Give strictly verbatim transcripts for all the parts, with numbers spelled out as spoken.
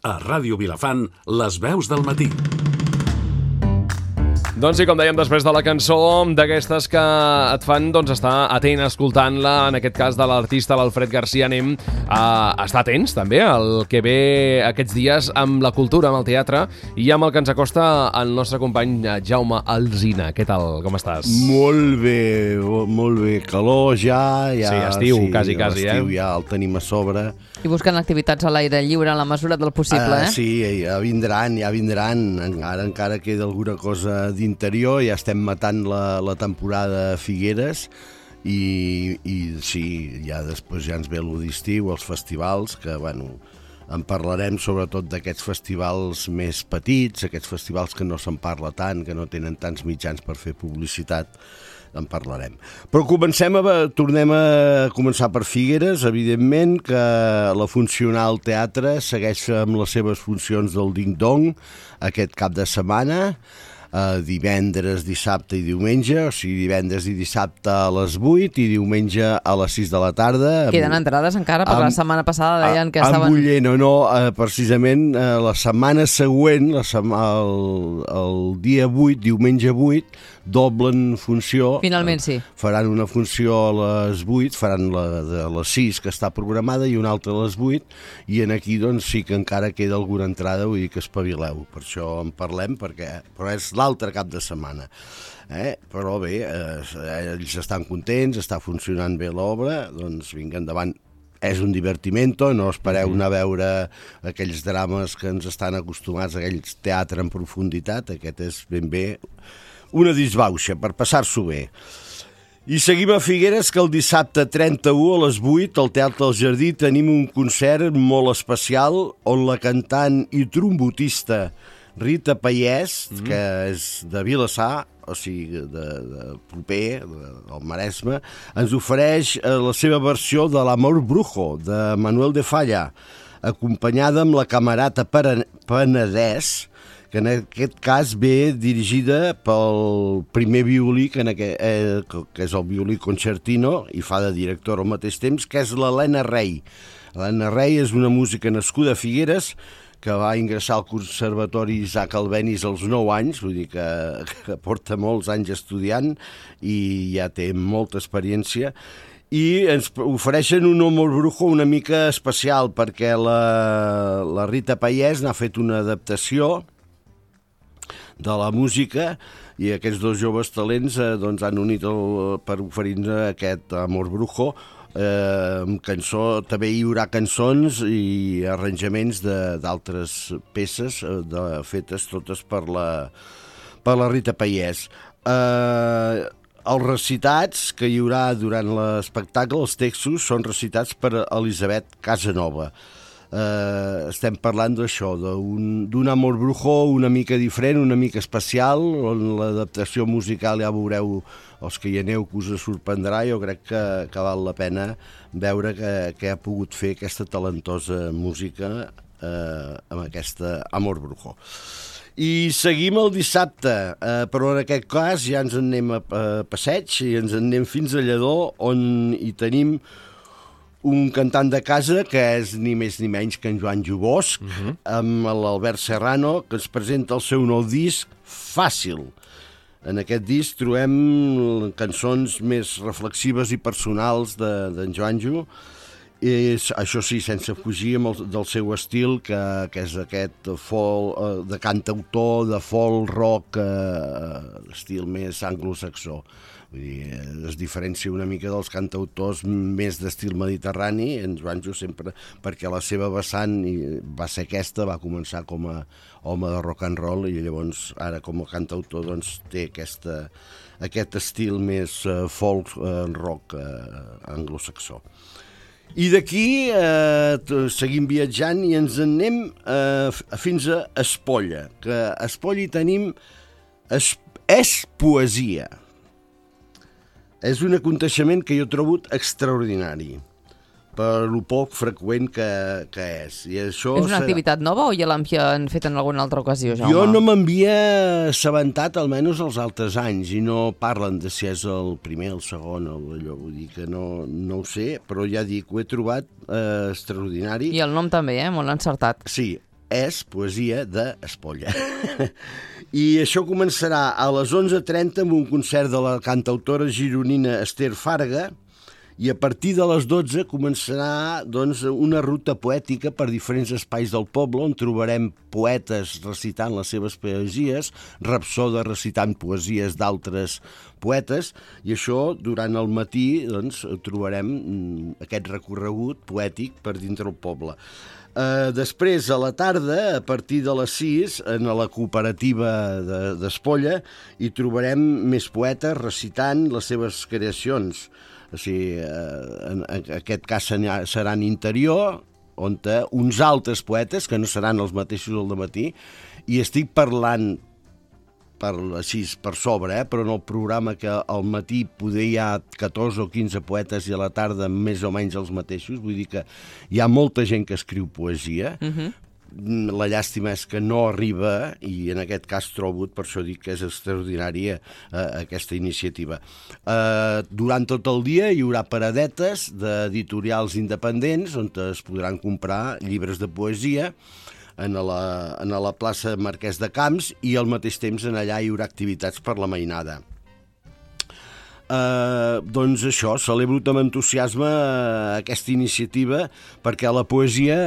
A Ràdio Vilafant, les veus del matí. Doncs sí, com dèiem, després de la cançó d'aquestes que et fan doncs, estar atent escoltant-la, en aquest cas de l'artista l'Alfred Garcia, anem a estar atents també al que ve aquests dies amb la cultura, amb el teatre, i amb el que ens acosta el nostre company Jaume Alsina. Què tal? Com estàs? Molt bé, molt bé. Calor ja. ja sí, estiu, sí, quasi, quasi. L'estiu eh? ja el tenim a sobre. I buscant activitats a l'aire lliure en la mesura del possible, uh, eh? Sí, ja vindran, ja vindran. Encara, encara queda alguna cosa d'interior. Ja estem matant la, la temporada a Figueres i, i sí, ja després ja ens ve l'estiu, els festivals, que, bueno, en parlarem sobretot d'aquests festivals més petits, aquests festivals que no se'n parla tant, que no tenen tants mitjans per fer publicitat. En parlarem. Però comencem a, tornem a començar per Figueres, evidentment, que la Funcional Teatre segueix amb les seves funcions del ding-dong aquest cap de setmana, eh, divendres, dissabte i diumenge, o sigui, divendres i dissabte a les vuit i diumenge a les sis de la tarda. Queden entrades encara? Per amb, la setmana passada deien que estaven... Amb Buller, no, no, eh, precisament eh, la setmana següent, la sema, el, el dia vuit, diumenge vuit, doblen funció. Finalment sí. Faran una funció a les vuit, faran la de les sis que està programada i una altra a les vuit, i en aquí doncs sí que encara queda alguna entrada, vull dir que espavileu, per això en parlem, perquè però és l'altre cap de setmana. Eh? Però bé, eh, ells estan contents, està funcionant bé l'obra, doncs vinga endavant. És un divertimento, no espereu anar a veure aquells drames que ens estan acostumats, aquells teatre en profunditat, aquest és ben bé una disbauxa per passar-s'ho bé. I seguim a Figueres, que el dissabte trenta-u a les vuit al Teatre del Jardí tenim un concert molt especial on la cantant i trombotista Rita Pallès, mm. que és de Vilassar, o sigui, de, de proper, de, del Maresme, ens ofereix la seva versió de l'Amor Brujo, de Manuel de Falla, acompanyada amb la Camerata Penedès, que en aquest cas ve dirigida pel primer violí, que, en aquest, eh, que és el violí concertino, i fa de director al mateix temps, que és l'Helena Rey. L'Helena Rey és una música nascuda a Figueres, que va ingressar al Conservatori Isaac Albéniz als nou anys, vull dir que, que porta molts anys estudiant i ja té molta experiència, i ens ofereixen un Amor Brujo una mica especial, perquè la, la Rita Pallès n'ha fet una adaptació de la música, i aquests dos joves talents eh, doncs han unit el, per oferir-nos aquest Amor Brujo, eh, amb cançó, també hi haurà cançons i arranjaments d'altres peces eh, de, fetes totes per la, per la Rita Pallès. Eh, els recitats que hi haurà durant l'espectacle, els textos, són recitats per Elisabet Casanova. Uh, estem parlant d'això, d'un Amor Brujo una mica diferent, una mica especial, on l'adaptació musical ja veureu, els que hi aneu, que us sorprendrà. Jo crec que, que val la pena veure que, que ha pogut fer aquesta talentosa música uh, amb aquesta Amor Brujo. I seguim el dissabte, eh, però en aquest cas ja ens en anem a, a passeig i ens en anem fins a Lledó, on hi tenim un cantant de casa que és ni més ni menys que en Joan Jubosc, uh-huh. amb l'Albert Serrano, que ens presenta el seu nou disc, Fàcil. En aquest disc trobem cançons més reflexives i personals d'en de, Joan Ju, i això sí, sense fugir amb el, del seu estil, que, que és aquest folk, eh, de cantautor, de folk rock, eh, estil més anglosaxó. Vull dir, es diferencia una mica dels cantautors més d'estil mediterrani, en Joanjo sempre, perquè la seva vessant va ser aquesta, va començar com a home de rock and roll i llavors ara com a cantautor doncs, té aquesta, aquest estil més uh, folk uh, rock uh, anglosaxó. I d'aquí eh, seguim viatjant i ens en anem eh, fins a Espolla, que a Espolla hi tenim es, és poesia. És un aconteixement que jo trobo extraordinari, per lo poc freqüent que, que és. I això és una serà... activitat nova o ja l'han fet en alguna altra ocasió, Jaume? Jo no m'havia assabentat almenys els altres anys i no parlen de si és el primer, el segon, o allò, vull dir que no, no ho sé, però ja dic, ho he trobat eh, extraordinari. I el nom també, eh? Molt encertat. Sí. és poesia d'Espolla. I això començarà a les onze trenta amb un concert de la cantautora gironina Esther Farga, i a partir de les dotze començarà doncs, una ruta poètica per diferents espais del poble on trobarem poetes recitant les seves poesies, rapsodes recitant poesies d'altres poetes, i això durant el matí doncs, trobarem aquest recorregut poètic per dintre el poble. Uh, després, a la tarda, a partir de les sis, en la cooperativa d'Espolla, hi trobarem més poetes recitant les seves creacions. O sigui, uh, en, en aquest cas serà en interior, on uns altres poetes, que no seran els mateixos al dematí, i estic parlant per, així, per sobre, eh? Però en el programa que al matí poder hi ha catorze o quinze poetes i a la tarda més o menys els mateixos, vull dir que hi ha molta gent que escriu poesia. Uh-huh. La llàstima és que no arriba, i en aquest cas trobo, per això dic que és extraordinària eh, aquesta iniciativa. Eh, durant tot el dia hi haurà paradetes d'editorials independents on es podran comprar llibres de poesia en la, en la plaça Marquès de Camps, i al mateix temps en allà hi haurà activitats per la mainada. Uh, doncs això, celebro amb entusiasme aquesta iniciativa, perquè la poesia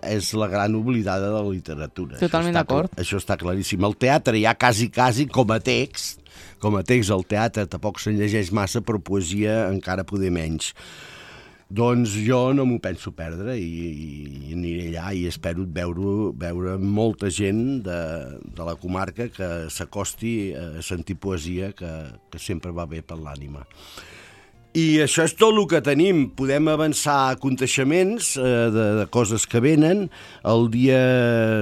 és la gran oblidada de la literatura. Totalment d'acord. Això està claríssim. El teatre ja quasi, quasi com a text, com a text el teatre tampoc se'n llegeix massa, però poesia encara poder menys. Doncs jo no m'ho penso perdre i, i aniré allà i espero veure, veure molta gent de, de la comarca que s'acosti a sentir poesia, que, que sempre va bé per l'ànima. I això és tot el que tenim. Podem avançar a aconteixements eh, de, de coses que venen. El dia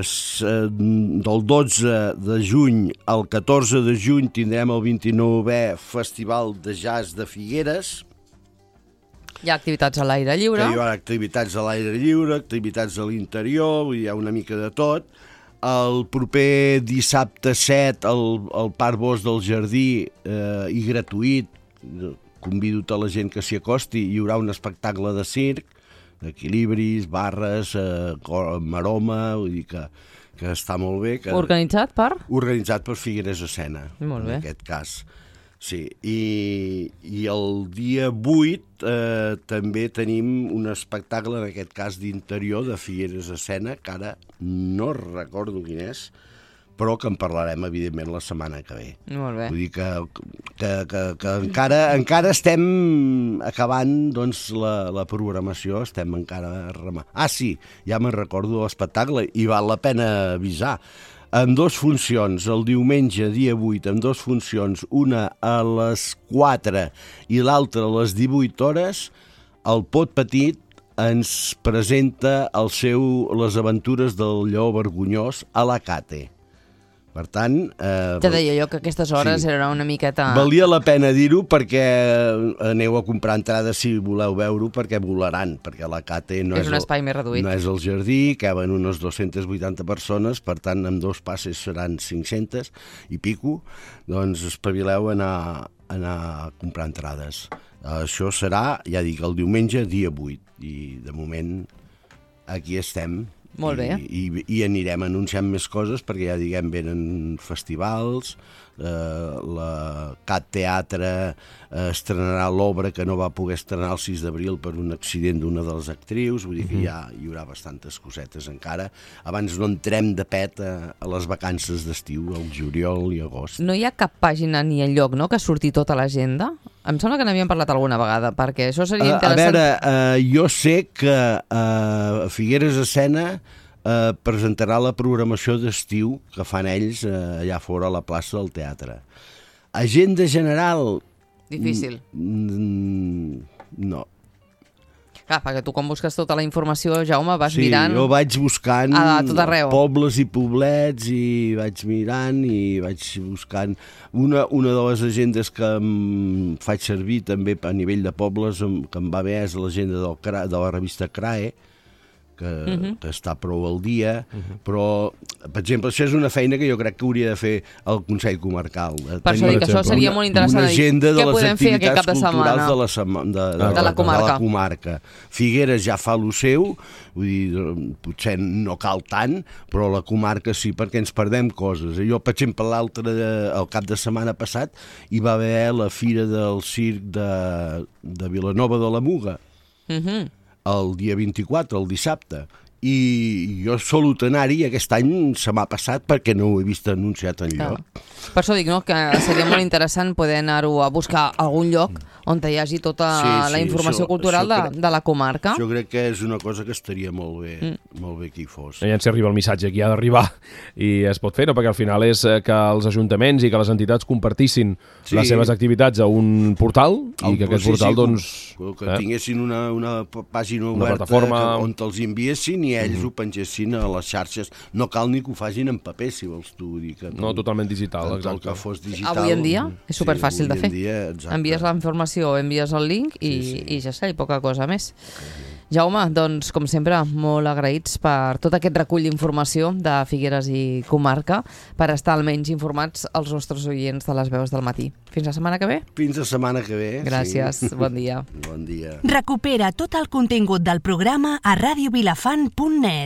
eh, del dotze de juny al catorze de juny tindrem el vint-i-nouè Festival de Jazz de Figueres. Hi ha activitats a l'aire lliure. Hi ha activitats a l'aire lliure, activitats a l'interior, hi ha una mica de tot. El proper dissabte set al, al Parc Bosc del Jardí, eh, i gratuït, convido tota la gent que s'hi acosti, hi haurà un espectacle de circ, d'equilibris, barres, eh, maroma, vull dir que, que està molt bé. Que, organitzat per? Organitzat per Figueres Escena, molt bé. En aquest cas. Sí, i, i el dia vuit eh, també tenim un espectacle, en aquest cas d'interior, de Figueres Escena, que ara no recordo quin és, però que en parlarem, evidentment, la setmana que ve. Molt bé. Vull dir que, que, que, que encara, encara estem acabant doncs, la, la programació, estem encara remant. Ah, sí, ja me'n recordo l'espectacle, i val la pena avisar. Amb dos funcions, el diumenge, dia vuit, amb dos funcions, una a les quatre i l'altra a les divuit hores, el Pot Petit ens presenta el seu Les aventures del lleó vergonyós a la Cate. Per tant... Eh, ja deia jo que aquestes hores sí, era una miqueta... Valia la pena dir-ho perquè aneu a comprar entrades si voleu veure-ho, perquè volaran, perquè la Cate no és, és un espai el, més reduït. No és el jardí, caben unes dues-centes vuitanta persones, per tant, amb dos passes seran cinc-centes i pico, doncs espavileu a anar, a anar a comprar entrades. Això serà, ja dic, el diumenge, dia vuit, i de moment aquí estem. Molt bé. I, i, i anirem anunciant més coses, perquè ja diguem, venen festivals, eh, la Cat Teatre eh, estrenarà l'obra que no va poder estrenar el sis d'abril per un accident d'una de les actrius, vull dir que ja hi haurà bastantes cosetes encara. Abans no entrem de pet a, a les vacances d'estiu, al juliol i agost. No hi ha cap pàgina ni enlloc, no?, que surti tota l'agenda? Em sembla que n'havíem parlat alguna vegada, perquè això seria interessant. A veure, eh, jo sé que eh, Figueres Escena eh, presentarà la programació d'estiu que fan ells eh, allà fora a la plaça del teatre. Agenda general... Difícil. No. Clar, perquè tu quan busques tota la informació, Jaume, vas sí, mirant... Sí, jo vaig buscant a tot arreu. Pobles i poblets i vaig mirant i vaig buscant... Una, una de les agendes que em faig servir també a nivell de pobles, que em va bé, és l'agenda de la revista C R A E, que, uh-huh. que està prou al dia, uh-huh. però per exemple, això és una feina que jo crec que hauria de fer el Consell Comarcal. Per això dic que això seria molt interessant. Una agenda de què les podem fer aquest cap activitats de setmana culturals de la, sema, de, de, de la comarca. De la comarca. Figueres ja fa lo seu, vull dir, potser no cal tant, però la comarca sí, perquè ens perdem coses. Jo, per exemple, l'altre, el cap de setmana passat, hi va haver la Fira del Circ de, de Vilanova de la Muga, uh-huh. el dia vint-i-quatre, el dissabte. I jo solut anar-hi, aquest any se m'ha passat perquè no ho he vist anunciat enlloc. Clar. Per això dic, no?, que seria molt interessant poder anar-ho a buscar a algun lloc on hi hagi tota sí, sí, la informació això, cultural això de, crec, de la comarca. Jo crec que és una cosa que estaria molt bé, mm. molt bé que hi fos. Ja ens arriba el missatge que ha d'arribar i es pot fer, no? Perquè al final és que els ajuntaments i que les entitats compartissin sí. les seves activitats a un portal i que aquest sí, portal, sí, doncs... Que eh? tinguessin una, una pàgina una oberta plataforma que, on te'ls enviessin i ells mm. ho pengessin a les xarxes. No cal ni que ho facin en paper, si vols tu dir que... No, totalment digital, exacte. exacte. Que fos digital. Avui en dia és superfàcil sí, de fer. Dia, envies la informació, envies el link i, sí, sí. i ja està, i poca cosa més. Jaume, doncs, com sempre, molt agraïts per tot aquest recull d'informació de Figueres i comarca, per estar almenys informats els nostres oients de les veus del matí. Fins la setmana que ve? Fins la setmana que ve. Gràcies, sí. bon dia. Bon dia. Recupera tot el contingut del programa a radio vilafant punt net.